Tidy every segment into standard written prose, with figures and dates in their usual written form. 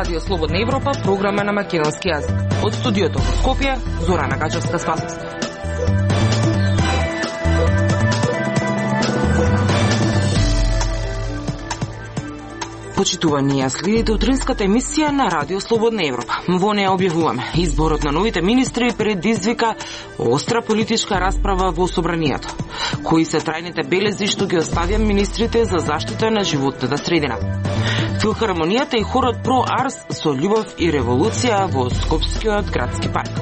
Радио Слободна Европа, програма на македонски јазик. Од студиото во Скопје, Зорана Гаџевска-Спасовска. Почитувани, ја следите утринската емисија на Радио Слободна Европа. Во неја објавуваме: изборот на новите министри предизвика остра политичка расправа во собранието. Кои се трајните белези што ги оставија министрите за заштита на животната средина? Филхармонијата и хорот Про Арс со љубов и револуција во Скопскиот градски парк.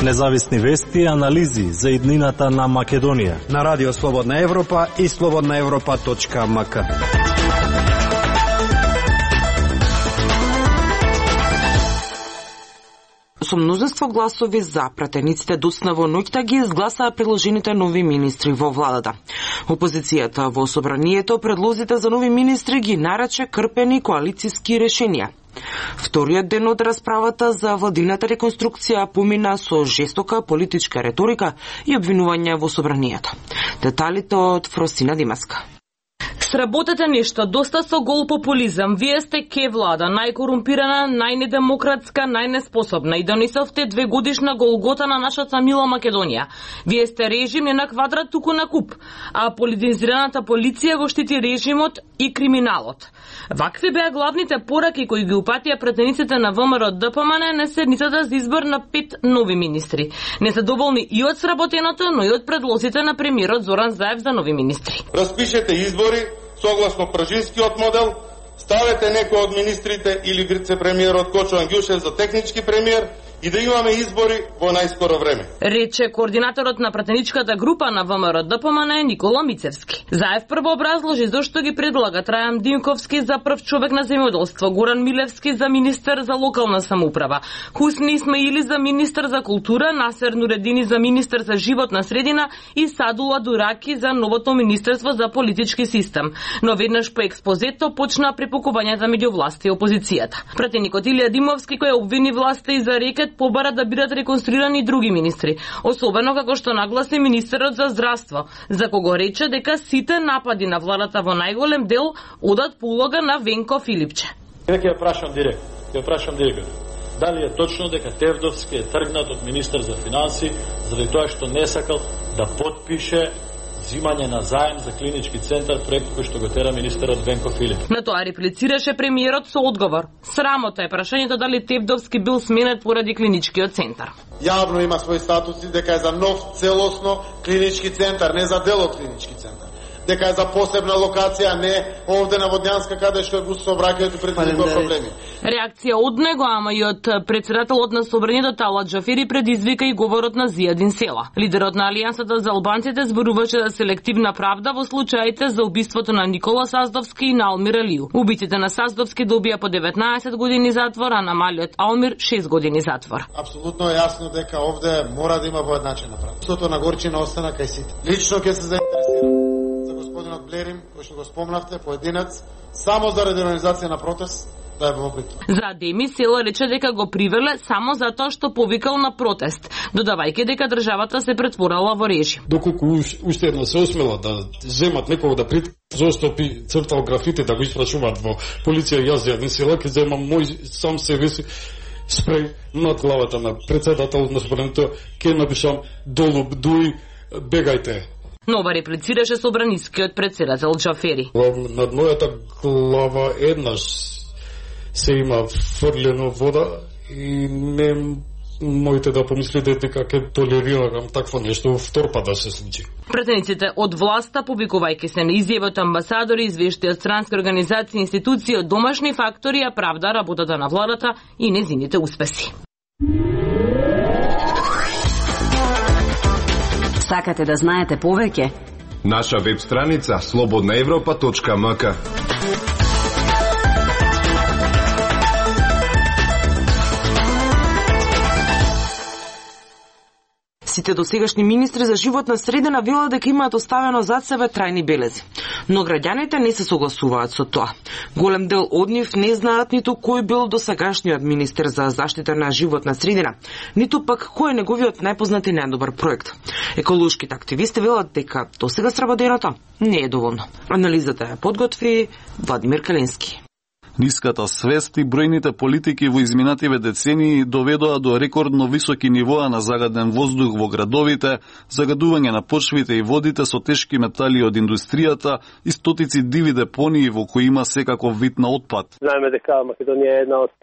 Независни вести и анализи за иднината на Македонија на Радио Слободна Европа и slobodnaevropa.mk. Со мнозинство гласови за, пратениците доцна во ноќта ги изгласаа предложените нови министри во владата. Опозицијата во собранието предлозите за нови министри ги нарече крпени коалициски решенија. Вториот ден од расправата за владината реконструкција помина со жестока политичка реторика и обвинувања во собранието. Деталите од Фросина Димаска. Сработете нешто, доста со гол популизам. Вие сте ке влада, најкорумпирана, најнедемократска, најнеспособна и донесовте 2-годишна голгота на нашата мила Македонија. Вие сте режим не на квадрат, туку на куп, а политизираната полиција го штити режимот и криминалот. Вакви беа главните пораки кои ги упатија пратениците на ВМРО ДПМН на седницата за избор на 5 нови министри. Не се доволни и од сработеното, но и од предлозите на премиерот Зоран Заев за нови министри. Распишете избори согласно пржинскиот модел, ставете некој од министрите или вице-премиерот Кочо Ангјушев за технички премиер и да имаме избори во најскоро време. Рече координаторот на пратеничката група на ВМРО ДПМН Никола Мицевски. Заев прво образложи зошто ги предлага Трајан Димковски за прв човек на земјоделство, Горан Милевски за министер за локална самоуправа, Хусни Исмаили за министер за култура, Насер Нуредини за министер за животна средина и Садула Дураки за новото министерство за политички систем. Но веднаш по експозето почна препукувањата меѓу власта и опозицијата. Пратеникот Илија Димовски кој обвини власта и за рекет побара да бидат реконструирани други министри, особено како што нагласи министерот за здравство, за кого рече дека сите напади на владата во најголем дел одат по улога на Венко Филипче. Ќе ја прашам директно. Дали е точно дека Тевдовски е тргнат од министер за финанси заради тоа што не сакал да потпише зимање на заем за клинички центар, проект кој што го тера министерот Венко Филип. На тоа реплицираше премиерот со одговор. Срамота е прашањето дали Тевдовски бил сменет поради клиничкиот центар. Јавно има своји статуси дека е за нов целосно клинички центар, не за дел од клинички центар. Дека е за посебна локација, не овде на Водњанска каде што е бус сообраќајето предизвикува проблеми. Реакција од него, ама и од председателот на собранието Талат Джафери предизвика и говорот на Зијадин Села. Лидерот на Алијансата за албанците зборуваше за селективна правда во случаите за убиството на Никола Саздовски и на Алмир Алију. Убитите на Саздовски добија по 19 години затвор, а на малиот Алмир 6 години затвор. Апсолутно е јасно дека овде мора да има воедначена правда. Сото на горчина остана кај сите. Лично ќе се заинтересирам господинот Блерим, кој што го спомнавте, поединец, само заради организација на протест, да е во опит. За Деми Села рече дека го привеле само затоа што повикал на протест, додавајќи дека државата се претворила во режим. Доколку уште една се осмела да земат некого да застопи цртал графити да го испрашуваат во полиција, јас Зијадин Села ќе земам мој сам себе си спреј над главата на председателот на собранието, ќе напишам долу бдуј, бегајте. Нова реплицираше собранискиот председател Джафери. Над мојата глава еднаш се има фрлено вода и не моите да помислите дека ќе толерирам такво нешто втор пат да се случи. Пратениците од власта, публикувајќи се на изјави од амбасадори, извешти од странски организации и институции од домашни фактори, ја правда работата на владата и незините успеси. Сакате да знаете повеќе? Наша веб страница slobodnaevropa.mk. Сите досегашни министри за животна средина велат дека имаат оставено зад себе трајни белези. Но граѓаните не се согласуваат со тоа. Голем дел од нив не знаат ниту кој бил досегашниот министер за заштита на животна средина, ниту пак кој е неговиот најпознат и најдобар проект. Еколошките активисти велат дека досега сработеното не е доволно. Анализата ја подготви Владимир Калински. Ниската свест и бројните политики во изминативе децении доведоа до рекордно високи нивоа на загаден воздух во градовите, загадување на почвите и водите со тешки метали од индустријата и стотици диви депонии во кои има секаков вид на отпад. Знаеме дека Македонија е една од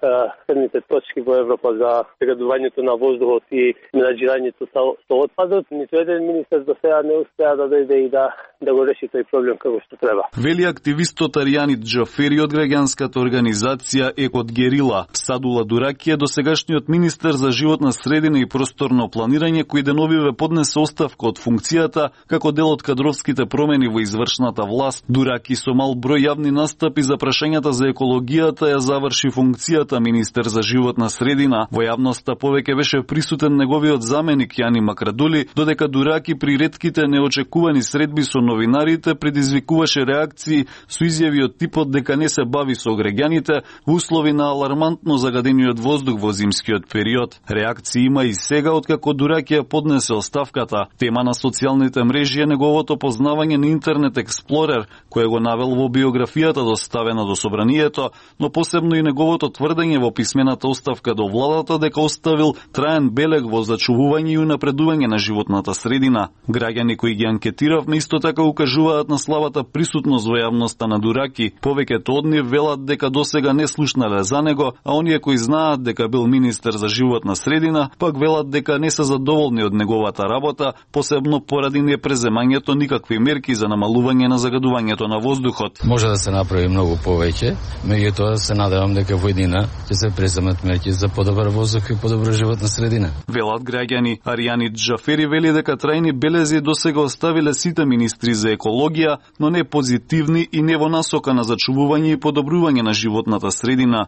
средните точки во Европа за загадувањето на воздухот и менаџирањето со отпадот. Ниту еден министер до сега не успеа да дојде и да го реши тој проблем како што треба. Вели активистот Аријани Џафери од граѓанската организација Екот Герила. Садула Дураки е досегашниот министер за животна средина и просторно планирање кој деновиве поднесе оставка од функцијата како дел од кадровските промени во извршната власт. Дураки со мал број јавни настапи за прашањата за екологијата ја заврши функцијата министер за животна средина. Во јавноста повеќе беше присутен неговиот заменик Јани Макрадули, додека Дураки при ретките неочекувани средби со новинарите предизвикуваше реакции со изјави од типот дека не се бави со граѓаните во услови на алармантно загадениот воздух во зимскиот период. Реакции има и сега откако Дураки ја поднесе оставката. Тема на социјалните мрежи е неговото познавање на Интернет Експлорер, кој го навел во биографијата доставена до собранието, но посебно и неговото тврдење во писмената оставка до владата дека оставил траен белег во зачувување и унапредување на животната средина. Граѓани кои ги анкетиравме исто така укажуваат на слабата присутност во јавноста на Дураки. Повеќето од нив велат дека досега не слушнале за него, а оние кои знаат дека бил министер за животна средина, пак велат дека не се задоволни од неговата работа, посебно поради непреземањето никакви мерки за намалување на загадувањето на воздухот. Може да се направи многу повеќе, меѓутоа се надевам дека во еднина ќе се преземат мерки за подобар воздух и подобра животна средина. Велат граѓани. Аријани Џафери вели дека трајни белези досега оставиле сите министри за екологија, но не позитивни и не во насока на зачувување и подобрување на животната средина.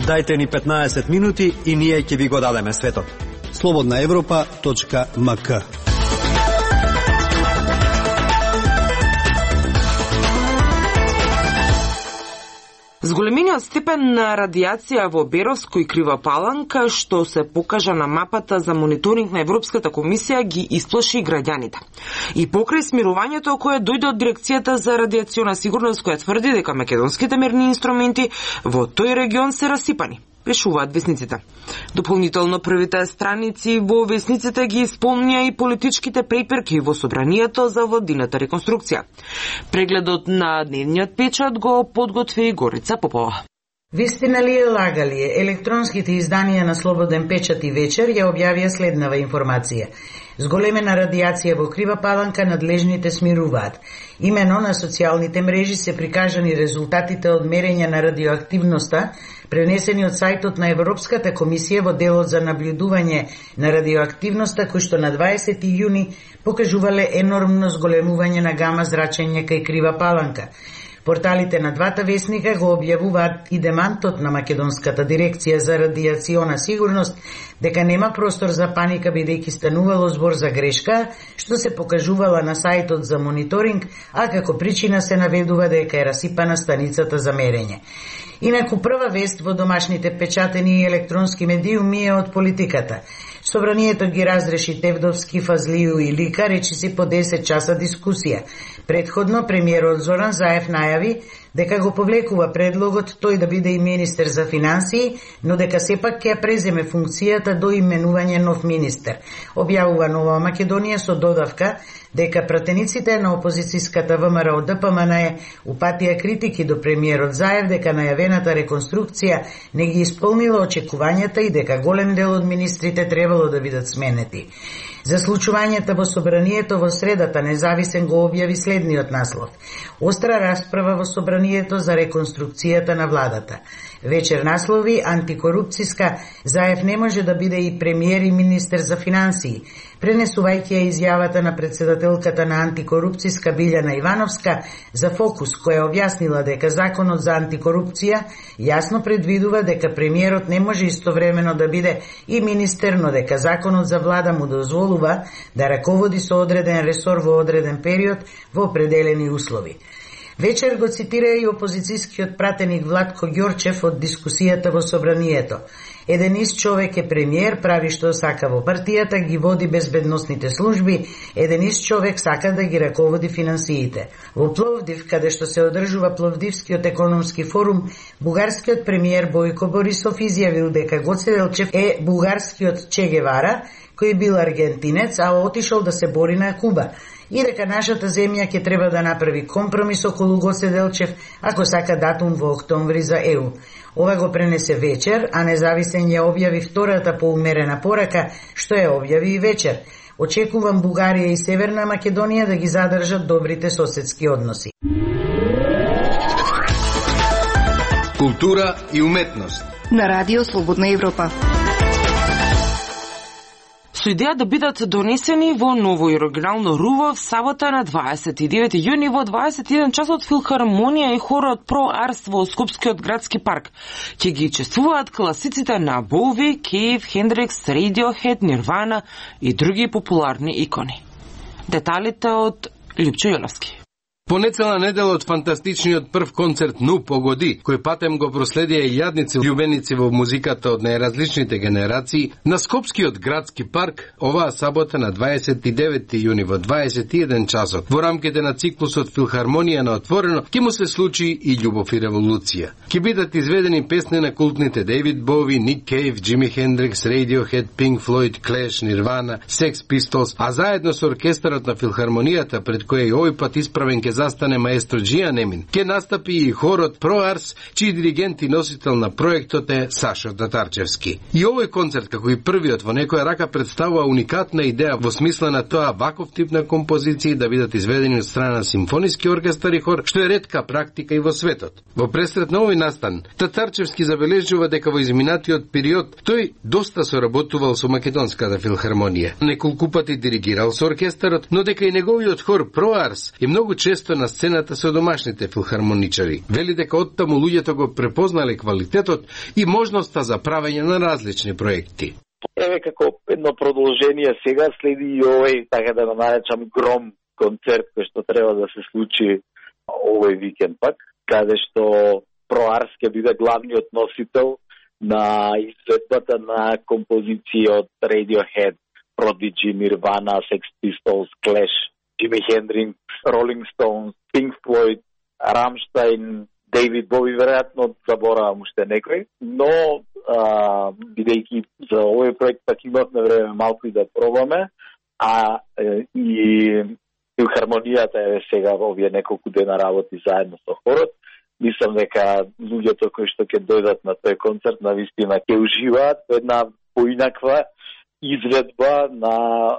Дајте ни 15 минути и ние ќе ви го дадеме светот. slobodnaevropa.mk. Зголемениот степен на радиација во Беровско и Крива Паланка, што се покажа на мапата за мониторинг на Европската комисија, ги исплаши граѓаните. И покрај смирувањето кое дојде од Дирекцијата за радиациона сигурност, која тврди дека македонските мерни инструменти во тој регион се расипани, пишуваат весниците. Дополнително првите страници во весниците ги исполнија и политичките преперки во собранието за владината реконструкција. Прегледот на дневниот печат го подготви Горица Попова. Вистина ли е, лага ли е? Електронските изданија на Слободен печат и вечер ја објавија следнава информација. Зголемена радиација во Крива Паланка, надлежните смируваат. Имено на социјалните мрежи се прикажани резултатите од мерење на радиоактивноста, пренесени од сајтот на Европската комисија во делот за наблюдување на радиоактивноста, кој што на 20 јуни покажувале енормно зголемување на гама зрачење кај Крива Паланка. Порталите на двата весника го објавуваат и демантот на Македонската дирекција за радиациона сигурност дека нема простор за паника бидејќи станувало збор за грешка, што се покажувала на сајтот за мониторинг, а како причина се наведува дека е расипана станицата за мерење. Инаку прва вест во домашните печатени и електронски медиуми е од политиката. Собранието ги разреши Тевдовски, Фазлију и Лика, речиси по 10 часа дискусија. Предходно премиерот Зоран Заев најави дека го повлекува предлогот тој да биде и министер за финансии, но дека сепак ќе преземе функцијата до именување нов министер. Објавува Нова Македонија со додавка дека пратениците на опозицијската ВМРО ДПМН упатија критики до премиерот Заев дека најавената реконструкција не ги исполнила очекувањата и дека голем дел од министрите требало да бидат сменети. За случувањата во собранието во средата Независен го објави следниот наслов. Остра расправа во собранието за реконструкцијата на владата. Вечер наслови антикорупцијска, Заев не може да биде и премиер и министер за финансии, пренесувајќи ја изјавата на председателката на антикорупцијска Билјана Ивановска за Фокус, која објаснила дека законот за антикорупција јасно предвидува дека премиерот не може истовремено да биде и министер, но дека законот за влада му дозволува да раководи со одреден ресор во одреден период во определени услови. Вечер го цитира и опозицијскиот пратеник Владко Ѓорчев од дискусијата во собранието. Еден ист човек е премиер, прави што сака во партијата, ги води безбедносните служби, еден ист човек сака да ги раководи финансиите. Во Пловдив, каде што се одржува Пловдивскиот економски форум, бугарскиот премиер Бојко Борисов изјавил дека Гоце Делчев е бугарскиот Че Гевара, кој бил аргентинец, а отишол да се бори на Куба, и дека нашата земја ќе треба да направи компромис околу Гоце Делчев ако сака датум во октомври за ЕУ. Ова го пренесе Вечер, а Независен ја објави втората поумерена порака, што ја објави и Вечер. Очекувам Бугарија и Северна Македонија да ги задржат добрите соседски односи. Култура и уметност на Радио Слободна Европа. Со идеја да бидат донесени во ново и оригинално руво в сабота на 29 јуни во 21 часот филхармонија и хорот Про Арс во Скопскиот градски парк. Ќе ги чествуваат класиците на Боуи, Кейв, Хендрикс, Radiohead, Нирвана и други популарни икони. Деталите од Лјупчо Јоловски. Понецела недела од фантастичниот прв концерт Ну погоди, кој патем го проследија и јадници љубеници во музиката од најразличните генерации, на Скопскиот градски парк оваа сабота на 29 јуни во 21 часот. Во рамките на циклусот Филхармонија на отворено ќе му се случи и Љубов и револуција. Ќе бидат изведени песни на култните Дейвид Боуи, Ник Кейв, Джими Хендрикс, Radiohead, Pink Floyd, Clash, Нирвана, Sex Pistols, а заедно со оркестарот на Филхармонијата, пред кој и овој пат исправен ке застане маестро Џија Немин, ке настапи и хорот Про Арс, чиј диригент и носител на проектот е Сашо Татарчевски. И овој концерт, како и првиот во некоја рака, представува уникатна идеја во смисла на тоа ваков тип на композиции да бидат изведени од страна на симфониски оркестар и хор, што е ретка практика и во светот. Во пресрет на овој настан, Татарчевски забележува дека во изминатиот период тој доста соработувал со Македонската филхармонија. Неколку пати диригирал со оркестарот, но дека и неговиот хор Про Арс е многу често на сцената со домашните филхармоничари. Вели дека оттаму луѓето го препознале квалитетот и можноста за правење на различни проекти. Еве како едно продолжение сега следи и овој, така да го наречам, гром концерт кој што треба да се случи овој викенд пак, каде што Про Арс ќе биде главниот носител на изведбата на композиции од Radiohead, Prodigy, Nirvana, Sex Pistols, Clash, Jimi Hendrix, Rolling Stones, Pink Floyd, Rammstein, Дейвид Боуи, веројатно заборавам уште некој, но бидејќи за овој проект пак имавме време малку и да пробаме, а и филхармонијата е сега овие неколку дена работи заедно со хорот. Мислам дека луѓето кои што ќе дојдат на тој концерт навистина ќе уживаат една поинаква изведба на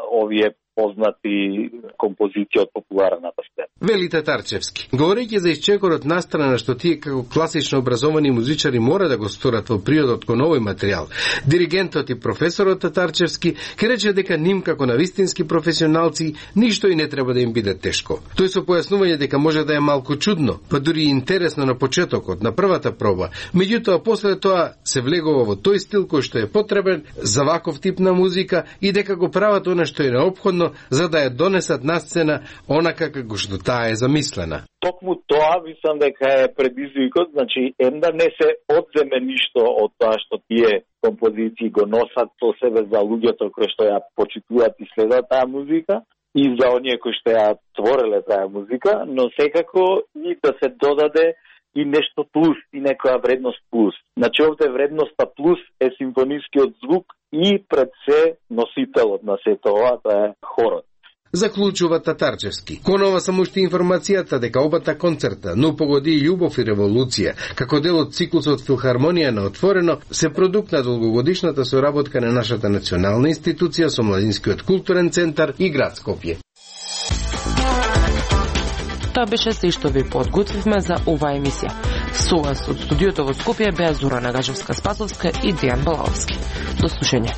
овие познати композиции од популарната сцена. Вели Татарчевски. Говорејќи за исчекорот настрана што тие како класично образовани музичари мора да го сторат во приодот кон овој материјал, диригентот и професорот Татарчевски ке рече дека ним како на вистински професионалци ништо и не треба да им биде тешко. Тој со појаснување дека може да е малку чудно, па дури и интересно на почетокот, на првата проба, меѓутоа после тоа се влегува во тој стил кој што е потребен за ваков тип на музика и дека го прават она што е неопходно за да ја донесат на сцена онака како што таа е замислена. Токму тоа мислам дека е предизвикот, значи да не се одземе ништо од тоа што тие композиции го носат со себе за луѓето кои што ја почитуваат и следат таа музика и за оние кои што ја твореле таа музика, но секако и да се додаде и нешто плюс, и некоја вредност плюс. Значи овде вредноста плюс е симфонискиот звук и пред се носителот на сето ова, тоа е хорот. Заклучува Татарчевски. Кон ова само уште информацијата дека обата концерта Ну погоди и Љубов и револуција, како дел од циклусот Филхармонија на отворено, се продукт на долгогодишната соработка на нашата национална институција со Младинскиот културен центар и град Скопје. Тоа беше се што ви подготвивме за оваа емисија. Со вас од студиото во Скопје беа Зора Нагажевска-Спасовска и Дејан Балаовски. До слушање.